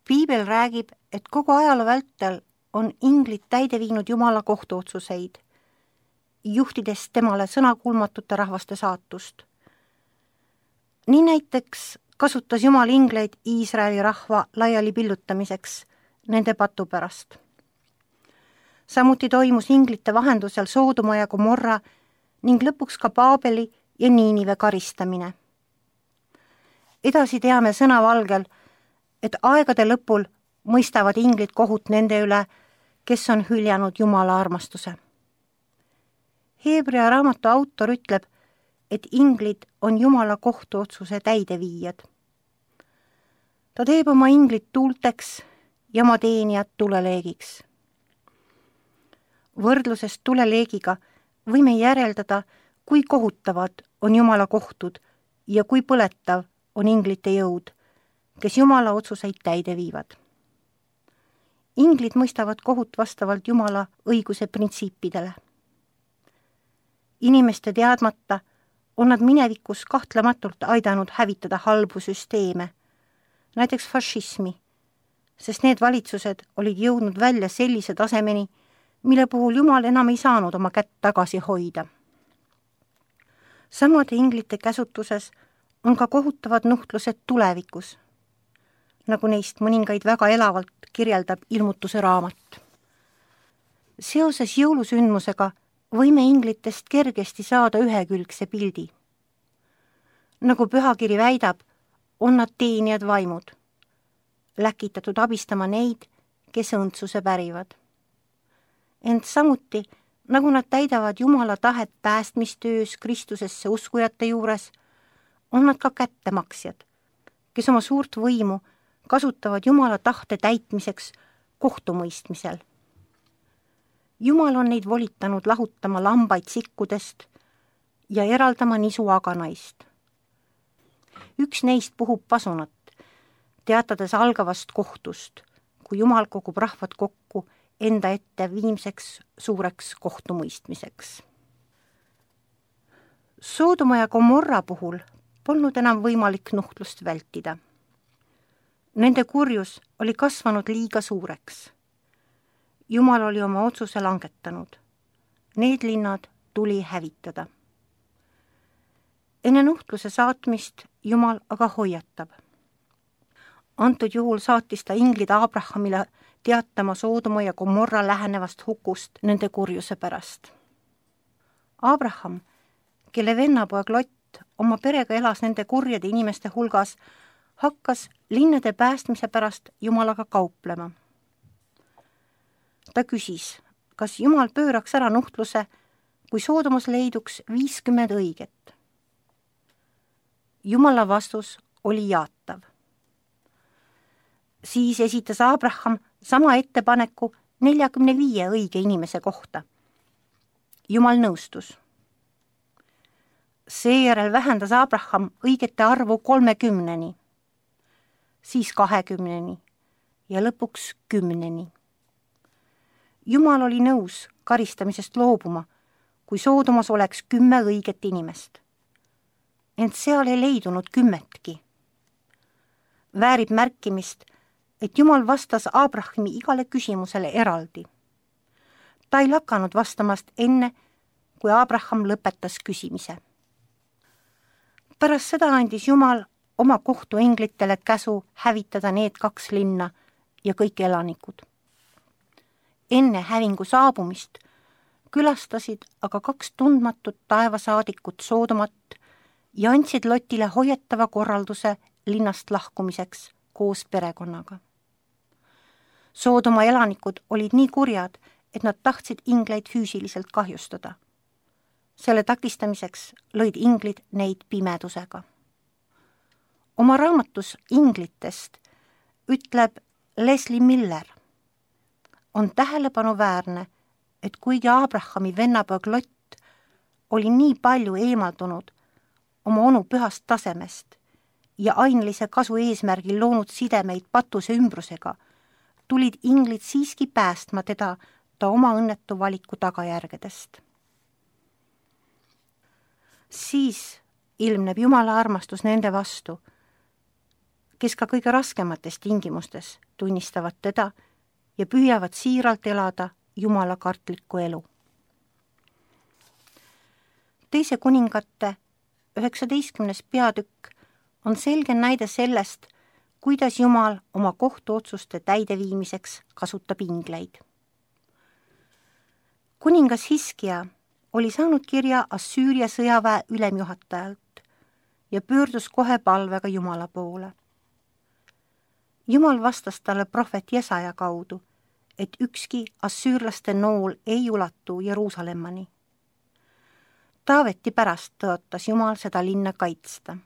Piibel räägib, et kogu ajaloo vältel on inglid täide viinud Jumala kohtuotsuseid, juhtides temale sõnakuulmatute rahvaste saatust. Nii näiteks kasutas Jumal ingleid Iisraeli rahva laiali pillutamiseks nende patu pärast. Samuti toimus inglite vahendusel Soodoma ja Gomorra ning lõpuks ka Paabeli ja Niinive karistamine. Edasi teame sõnavalgel, et aegade lõpul mõistavad inglid kohut nende üle, kes on hüljanud Jumala armastuse. Heebrea raamatu autor ütleb, et inglid on Jumala kohtuotsuse täideviijad. Ta teeb oma inglid tuulteks ja oma teenijad tuleleegiks. Võrdlusest tuleleegiga võime järeldada, kui kohutavad on Jumala kohtud ja kui põletav on inglite jõud, kes Jumala otsuseid täide viivad. Inglid mõistavad kohut vastavalt Jumala õiguse printsiipidele. Inimeste teadmata on nad minevikus kahtlematult aidanud hävitada halbu süsteeme, näiteks fašismi, sest need valitsused olid jõudnud välja sellise tasemeni, mille puhul Jumal enam ei saanud oma kätt tagasi hoida. Samade inglite käsutuses on ka kohutavad nuhtlused tulevikus, nagu neist mõningaid väga elavalt kirjeldab Ilmutuse raamat. Seoses jõulusündmusega võime inglitest kergesti saada ühekülgse pildi. Nagu pühakiri väidab, on nad teenijad vaimud, läkitatud abistama neid, kes õndsuse pärivad. Ent samuti, nagu nad täidavad Jumala tahet päästmistöös Kristusesse uskujate juures, on nad ka kättemaksjad, kes oma suurt võimu kasutavad Jumala tahte täitmiseks kohtumõistmisel. Jumal on neid volitanud lahutama lambaid sikkudest ja eraldama nisuaganaist. Üks neist puhub pasunat, teatades algavast kohtust, kui Jumal kogub rahvad kokku enda ette viimseks suureks kohtumõistmiseks. Soodoma ja Gomorra puhul polnud enam võimalik nuhtlust vältida. Nende kurjus oli kasvanud liiga suureks. Jumal oli oma otsuse langetanud. Need linnad tuli hävitada. Enne nuhtluse saatmist Jumal aga hoiatab. Antud juhul saatis ta inglid Abrahamile teatama Soodoma ja Gomorra lähenevast hukust nende kurjuse pärast. Abraham, kelle vennapoeg Lott oma perega elas nende kurjade inimeste hulgas, hakkas linnade päästmise pärast Jumalaga kauplema. Ta küsis, kas Jumal pööraks ära nuhtluse, kui Soodomas leiduks 50 õiget. Jumala vastus oli jaatav. Siis esitas Abraham sama ettepaneku 45 õige inimese kohta. Jumal nõustus. Seejärel vähendas Abraham õigete arvu 30-ni, siis 20-ni ja lõpuks 10-ni. Jumal oli nõus karistamisest loobuma, kui Soodomas oleks 10 õiget inimest. Ent seal ei leidunud 10-tki. Väärib märkimist, et Jumal vastas Abrahami igale küsimusele eraldi. Ta ei lakanud vastamast enne, kui Abraham lõpetas küsimise. Pärast seda andis Jumal oma kohtuinglitele käsu hävitada need 2 linna ja kõik elanikud. Enne hävingu saabumist külastasid aga 2 tundmatut taevasaadikut Soodomat ja andsid Lotile hoiatava korralduse linnast lahkumiseks koos perekonnaga. Soodoma elanikud olid nii kurjad, et nad tahtsid ingleid füüsiliselt kahjustada. Selle takistamiseks lõid inglid neid pimedusega. Oma raamatus Inglitest ütleb Leslie Miller: on tähelepanuväärne, et kuigi Abrahami vennapoeg Lott oli nii palju eemaldunud oma onu pühast tasemest ja ainelise kasu eesmärgil loonud sidemeid patuse ümbrusega, tulid inglid siiski päästma teda ta oma õnnetu valiku tagajärgedest. Siis ilmneb Jumala armastus nende vastu, kes ka kõige raskemates tingimustes tunnistavad teda ja püüavad siiralt elada Jumala kartlikku elu. Teise kuningate 19. peatükk on selge näide sellest, kuidas Jumal oma kohtuotsuste täideviimiseks kasutab ingleid. Kuningas Hiskia oli saanud kirja Assüüria sõjaväe ülemjuhatajalt ja pöördus kohe palvega Jumala poole. Jumal vastas talle prohvet Jesaja kaudu, et ükski assüürlaste nool ei ulatu Jeruusalemmani. Taaveti pärast tõotas Jumal seda linna kaitsta.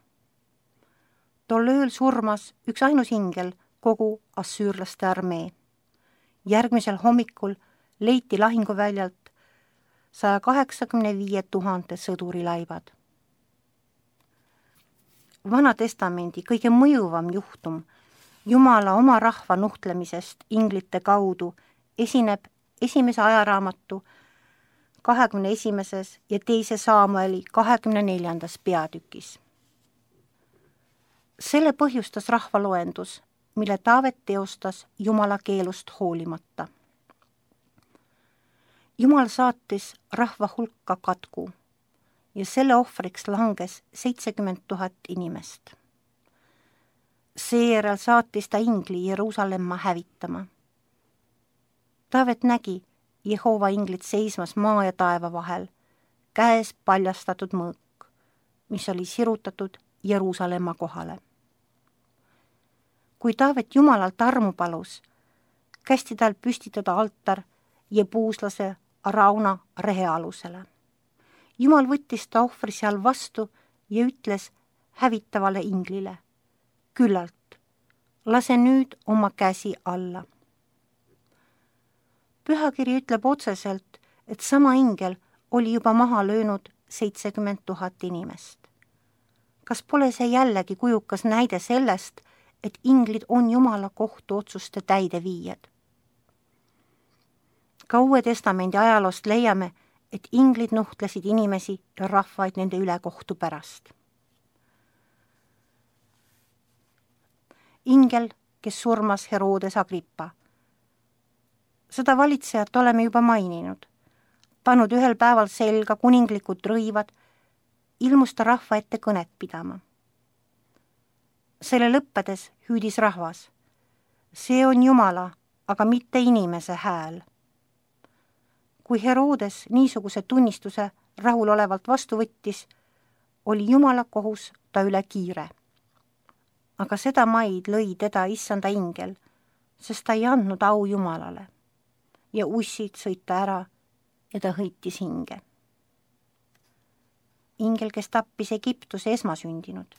Tol ööl surmas üks ainus ingel kogu assüürlaste armee. Järgmisel hommikul leiti lahinguväljalt 185 000 sõduri laibad. Vana testamendi kõige mõjuvam juhtum Jumala oma rahva nuhtlemisest inglite kaudu esineb esimese ajaraamatu 21. ja 2. Saamueli 24. peatükis. Selle põhjustas rahvaloendus, mille Taavet teostas Jumala keelust hoolimata. Jumal saatis rahva hulka katku ja selle ohvriks langes 70 000 inimest. Seejärel saatis ta ingli Jeruusalemma hävitama. Taavet nägi Jehova inglit seismas maa ja taeva vahel, käes paljastatud mõõk, mis oli sirutatud Jeruusalemma kohale. Kui Taavet Jumalalt armu palus, kästi tal püstitada altar jebuuslase Arauna rehe alusele. Jumal võttis ta ohvri seal vastu ja ütles hävitavale inglile: küllalt, lase nüüd oma käsi alla. Pühakiri ütleb otseselt, et sama ingel oli juba maha löönud 70 000 inimest. Kas pole see jällegi kujukas näide sellest, et inglid on Jumala kohtuotsuste täideviijad? Ka Uue Testamendi ajaloost leiame, et inglid nuhtlesid inimesi ja rahvaid nende ülekohtu pärast. Ingel, kes surmas Herodes Agrippa. Seda valitsejat oleme juba maininud. Pannud ühel päeval selga kuninglikud rõivad, ilmus ta rahva ette kõnet pidama. Selle lõppedes hüüdis rahvas: see on Jumala, aga mitte inimese hääl. Kui Herodes niisuguse tunnistuse rahulolevalt vastu võttis, oli Jumala kohus ta üle kiire. Aga seda maid lõi teda issanda ingel, sest ta ei andnud au Jumalale ja ussid sõid ta ära ja ta hõitis hinge. Ingel, kes tappis Egiptuse esmasündinud.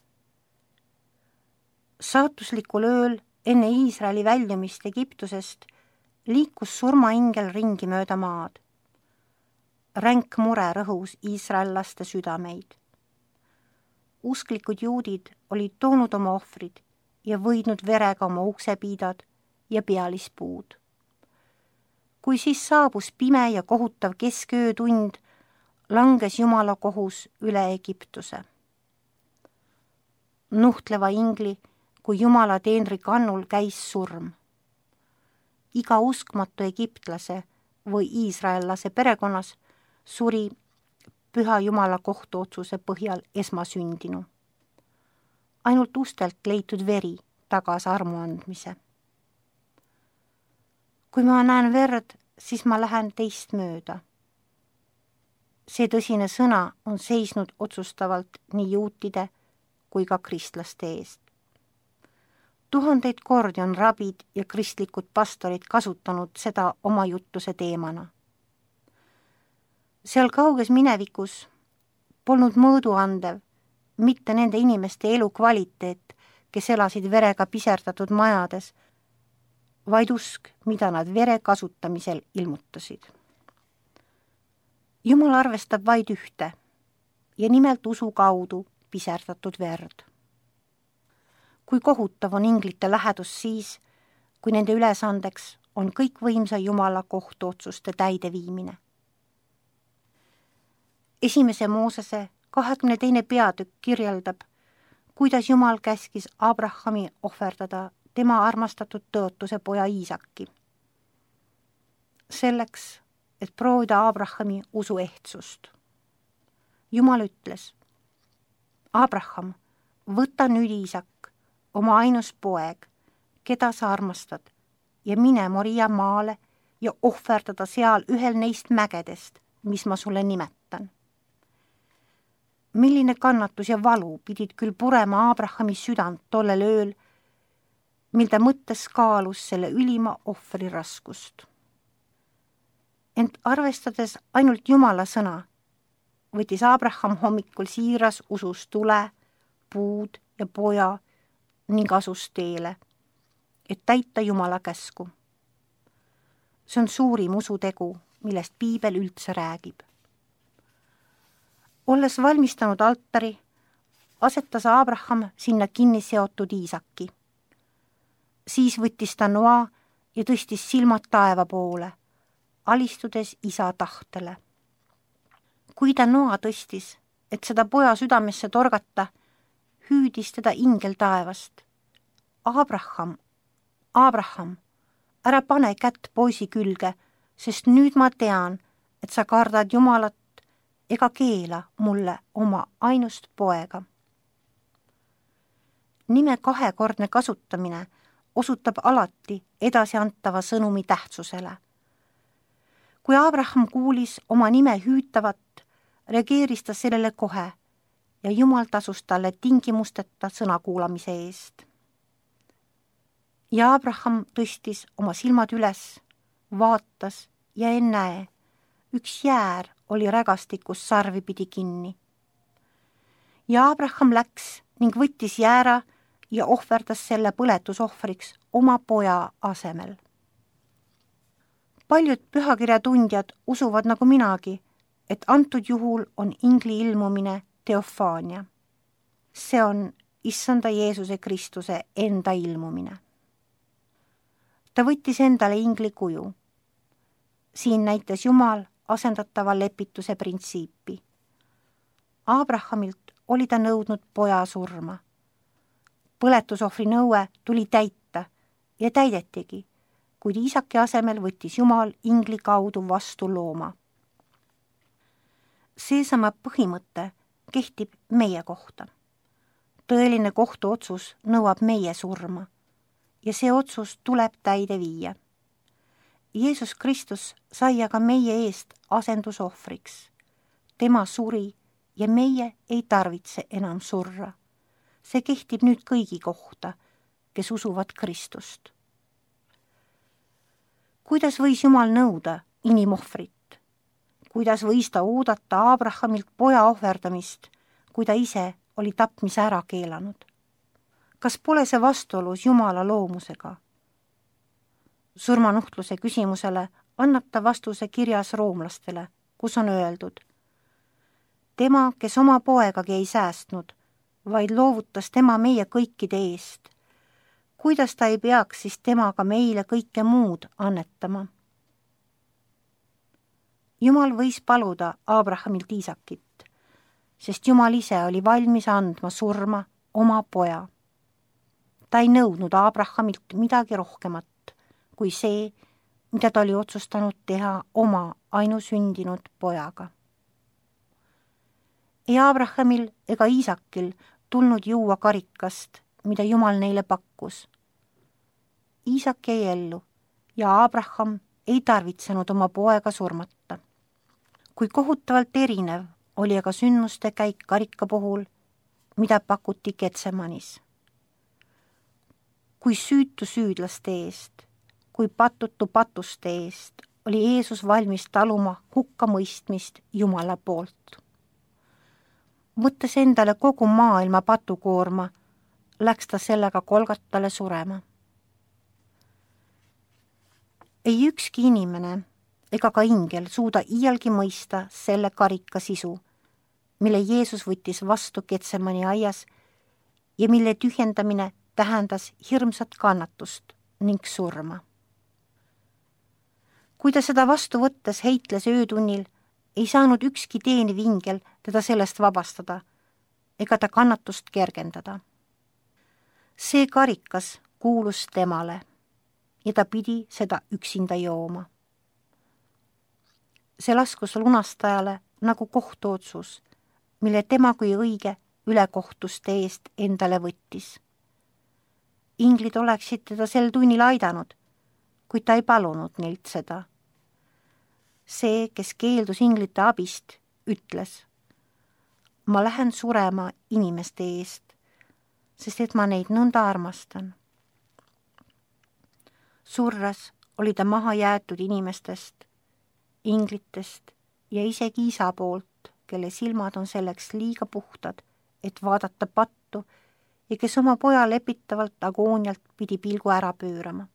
Saatuslikul ööl enne Iisraeli väljumist Egiptusest liikus surmaingel ringi mööda maad. Ränk mure rõhus iisraellaste südameid. Usklikud juudid olid toonud oma ohvrid ja võidnud verega oma uksepiidad ja pealispuud. Kui siis saabus pime ja kohutav kesköötund, langes Jumala kohus üle Egiptuse. Nuhtleva ingli kui Jumala teenri kannul käis surm. Iga uskmatu egiptlase või iisraellase perekonnas suri püha Jumala kohtuotsuse põhjal esmasündinu. Ainult ustelt leitud veri tagas armu andmise. Kui ma näen verd, siis ma lähen teist mööda. See tõsine sõna on seisnud otsustavalt nii juutide kui ka kristlaste eest. 1000 kordi on rabid ja kristlikud pastorid kasutanud seda oma jutluse teemana. Seal kauges minevikus polnud mõõduandev mitte nende inimeste elukvaliteet, kes elasid verega piserdatud majades, vaid usk, mida nad vere kasutamisel ilmutasid. Jumal arvestab vaid ühte ja nimelt usu kaudu piserdatud verd. Kui kohutav on inglite lähedus siis, kui nende ülesandeks on kõikvõimsa Jumala kohtuotsuste täideviimine. 1. Moosese 22. peatükk kirjeldab, kuidas Jumal käskis Abrahami ohverdada tema armastatud tõotuse poja Iisaki. Selleks, et proovida Abrahami usu ehtsust. Jumal ütles: Abraham, võta nüüd Iisak, oma ainus poeg, keda sa armastad, ja mine Moria maale ja ohverdada seal ühel neist mägedest, mis ma sulle nimetan. Milline kannatus ja valu pidid küll purema Abrahami südant tollel ööl, mil ta mõttes kaalus selle ülima ohvri raskust. Ent arvestades ainult Jumala sõna, võttis Abraham hommikul siiras usus tule, puud ja poja ning asus teele, et täita Jumala käsku. See on suurim usutegu, millest piibel üldse räägib. Olles valmistanud altari, asetas Abraham sinna kinni seotud Iisaki. Siis võttis ta noa ja tõstis silmad taeva poole, alistudes isa tahtele. Kui ta noa tõstis, et seda poja südamesse torgata, hüüdis teda ingel taevast: Abraham, Abraham, ära pane kätt poisi külge, sest nüüd ma tean, et sa kardad Jumalat ega keela mulle oma ainust poega. Nime kahekordne kasutamine osutab alati edasiantava sõnumi tähtsusele. Kui Abraham kuulis oma nime hüütavat, reageeris ta sellele kohe ja Jumal tasus talle tingimusteta sõna kuulamise eest. Ja Abraham tõstis oma silmad üles, vaatas ja ennäe, üks jäär oli rägastikus sarvi pidi kinni. Ja Abraham läks ning võttis jäära ja ohverdas selle põletusohvriks oma poja asemel. Paljud pühakirjatundjad usuvad nagu minagi, et antud juhul on ingli ilmumine teofaania. See on issanda Jeesuse Kristuse enda ilmumine. Ta võttis endale ingli kuju. Siin näitas Jumal asendatava lepituse printsiipi. Abrahamilt oli ta nõudnud poja surma. Põletusohvri nõue tuli täita ja täidetigi, kuid Iisaki asemel võttis Jumal ingli kaudu vastu looma. Seesama põhimõte kehtib meie kohta. Tõeline kohtuotsus nõuab meie surma ja see otsus tuleb täide viia. Jeesus Kristus sai aga meie eest asendusohvriks. Tema suri ja meie ei tarvitse enam surra. See kehtib nüüd kõigi kohta, kes usuvad Kristust. Kuidas võis Jumal nõuda inimohvrit? Kuidas võis ta oodata Abrahamilt poja ohverdamist, kui ta ise oli tapmise ära keelanud? Kas pole see vastuolus Jumala loomusega? Surmanuhtluse küsimusele annab ta vastuse kirjas roomlastele, kus on öeldud: tema, kes oma poegagi ei säästnud, vaid loovutas tema meie kõikide eest. Kuidas ta ei peaks siis temaga meile kõike muud annetama? Jumal võis paluda Abrahamilt Iisakit, sest Jumal ise oli valmis andma surma oma poja. Ta ei nõudnud Abrahamilt midagi rohkemat kui see, mida ta oli otsustanud teha oma ainusündinud pojaga. Ei Abrahamil ega Iisakil tulnud juua karikast, mida Jumal neile pakkus. Iisak jäi ellu ja Abraham ei tarvitsenud oma poega surmata. Kui kohutavalt erinev oli aga sündmuste käik karika puhul, mida pakuti Getsemanis. Kui süütu süüdlaste eest, kui patutu patuste eest oli Jeesus valmis taluma hukkamõistmist Jumala poolt. Võttes endale kogu maailma patukoorma, läks ta sellega Golgatale surema. Ei ükski inimene ega ka ingel suuda iialgi mõista selle karika sisu, mille Jeesus võttis vastu Getsemani aias ja mille tühjendamine tähendas hirmsat kannatust ning surma. Kui ta seda vastu võttes heitles öötunnil, ei saanud ükski teeniv ingel teda sellest vabastada ega ta kannatust kergendada. See karikas kuulus temale ja ta pidi seda üksinda jooma. See laskus lunastajale nagu kohtuotsus, mille tema kui õige ülekohtuste eest endale võttis. Inglid oleksid teda sel tunnil aidanud, kuid ta ei palunud neilt seda. See, kes keeldus inglite abist, ütles: ma lähen surema inimeste eest, sest et ma neid nõnda armastan. Surras oli ta maha jäetud inimestest, inglitest ja isegi isa poolt, kelle silmad on selleks liiga puhtad, et vaadata pattu ja kes oma poja lepitavalt agoonialt pidi pilgu ära pöörama.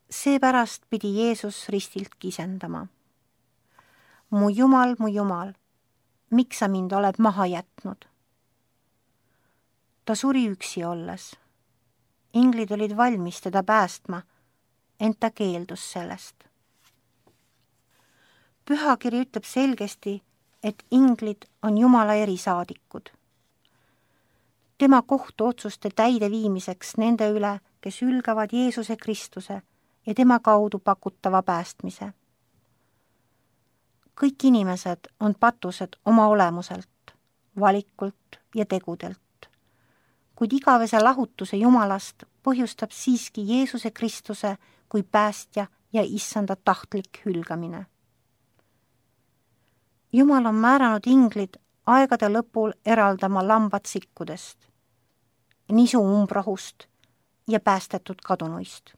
Seepärast pidi Jeesus ristilt kisendama: mu Jumal, miks sa mind oled maha jätnud? Ta suri üksi olles. Inglid olid valmis teda päästma, ent ta keeldus sellest. Pühakiri ütleb selgesti, et inglid on Jumala erisaadikud. Tema kohtuotsuste täideviimiseks nende üle, kes ülgavad Jeesuse Kristuse ja tema kaudu pakutava päästmise. Kõik inimesed on patused oma olemuselt, valikult ja tegudelt, kuid igavese lahutuse Jumalast põhjustab siiski Jeesuse Kristuse kui päästja ja issanda tahtlik hülgamine. Jumal on määranud inglid aegade lõpul eraldama lambad sikkudest, nisu umbrohust ja päästetud kadunuist.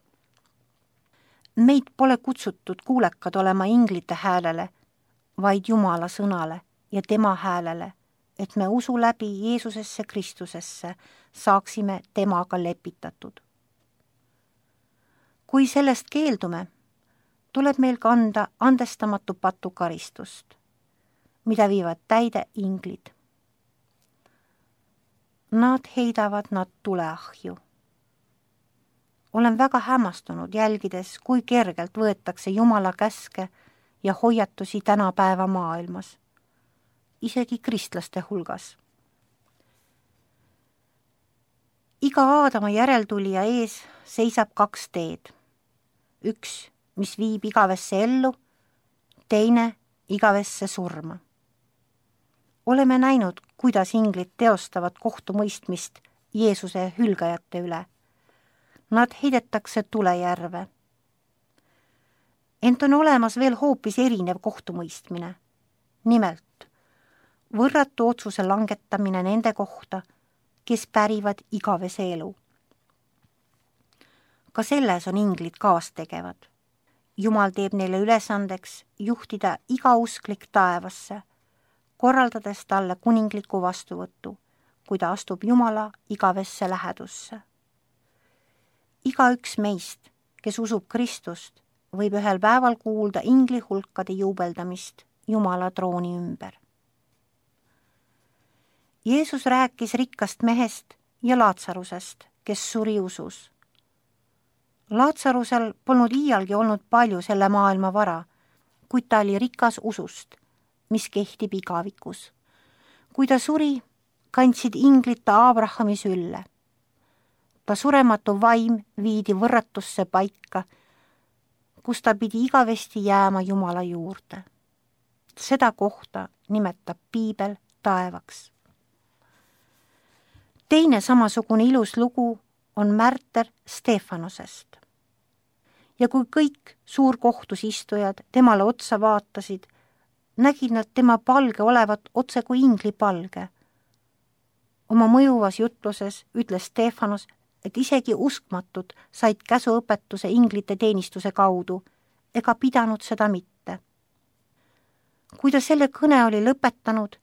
Meid pole kutsutud kuulekad olema inglite häälele, vaid Jumala sõnale ja tema häälele, et me usu läbi Jeesusesse Kristusesse saaksime temaga lepitatud. Kui sellest keeldume, tuleb meil kanda andestamatu patukaristust, mida viivad täide inglid. Nad heidavad nad tuleahju. Olen väga hämmastunud jälgides, kui kergelt võetakse Jumala käske ja hoiatusi tänapäeva maailmas, isegi kristlaste hulgas. Iga Aadama järeltulija ees seisab 2 teed. Üks, mis viib igavesse ellu, teine igavesse surma. Oleme näinud, kuidas inglid teostavad kohtumõistmist Jeesuse hülgajate üle. Nad heidetakse tulejärve. Ent on olemas veel hoopis erinev kohtumõistmine. Nimelt, võrratu otsuse langetamine nende kohta, kes pärivad igavese elu. Ka selles on inglid kaastegevad. Jumal teeb neile ülesandeks juhtida iga usklik taevasse, korraldades talle kuningliku vastuvõttu, kui ta astub Jumala igavesse lähedusse. Igaüks meist, kes usub Kristust, võib ühel päeval kuulda ingli hulkade juubeldamist Jumala trooni ümber. Jeesus rääkis rikkast mehest ja Laatsarusest, kes suri usus. Laatsarusel polnud iialgi olnud palju selle maailma vara, kuid ta oli rikas usust, mis kehtib igavikus. Kui ta suri, kandsid inglid ta Abrahami sülle. Ta surematu vaim viidi võrratusse paika, kus ta pidi igavesti jääma Jumala juurde. Seda kohta nimetab piibel taevaks. Teine samasugune ilus lugu on märter Stefanosest. Ja kui kõik suurkohtus istujad temale otsa vaatasid, nägid nad tema palge olevat otse kui ingli palge. Oma mõjuvas jutluses ütles Stefanos, et isegi uskmatud said käsuõpetuse inglite teenistuse kaudu ega pidanud seda mitte. Kui ta selle kõne oli lõpetanud,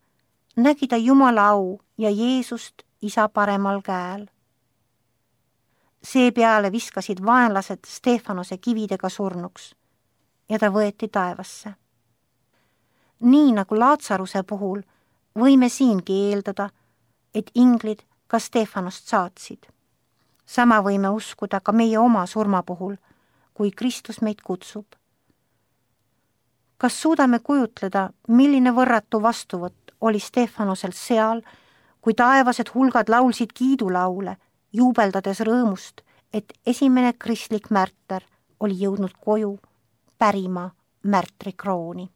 nägi ta Jumala au ja Jeesust isa paremal käel. Seepeale viskasid vaenlased Stefanose kividega surnuks ja ta võeti taevasse. Nii nagu Laatsaruse puhul võime siingi eeldada, et inglid ka Stefanost saatsid. Sama võime uskuda ka meie oma surma puhul, kui Kristus meid kutsub. Kas suudame kujutleda, milline võrratu vastuvõtt oli Stefanosel seal, kui taevased hulgad laulsid kiidulaule, juubeldades rõõmust, et esimene kristlik märter oli jõudnud koju pärima märtrikrooni.